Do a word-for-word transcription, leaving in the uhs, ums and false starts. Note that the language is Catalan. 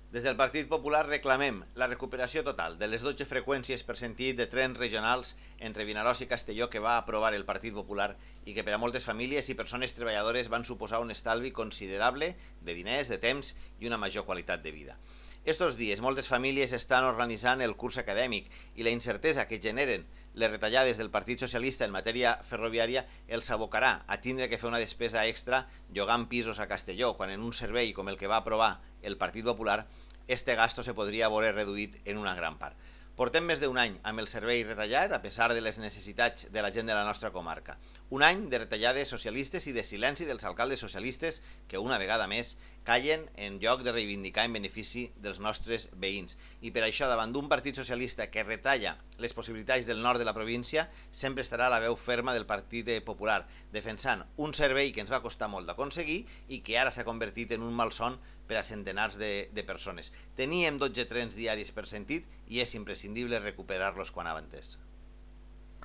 Des del Partit Popular reclamem la recuperació total de les dotze freqüències per sentit de trens regionals entre Vinaròs i Castelló que va aprovar el Partit Popular i que per a moltes famílies i persones treballadores van suposar un estalvi considerable de diners, de temps i una major qualitat de vida. Estos dies moltes famílies estan organitzant el curs acadèmic i la incertesa que generen les retallades del Partit Socialista en matèria ferroviària els abocarà a tindre que fer una despesa extra llogant pisos a Castelló, quan en un servei com el que va aprovar el Partit Popular, este gasto se podria veure reduït en una gran part. Portem més d'un any amb el servei retallat, a pesar de les necessitats de la gent de la nostra comarca. Un any de retallades socialistes i de silenci dels alcaldes socialistes que, una vegada més, callen en lloc de reivindicar en benefici dels nostres veïns. I per això, davant d'un partit socialista que retalla les possibilitats del nord de la província, sempre estarà la veu ferma del Partit Popular, defensant un servei que ens va costar molt d'aconseguir i que ara s'ha convertit en un malson per a centenars de, de persones. Teníem dotze trens diaris per sentit i és imprescindible recuperar-los quan antes.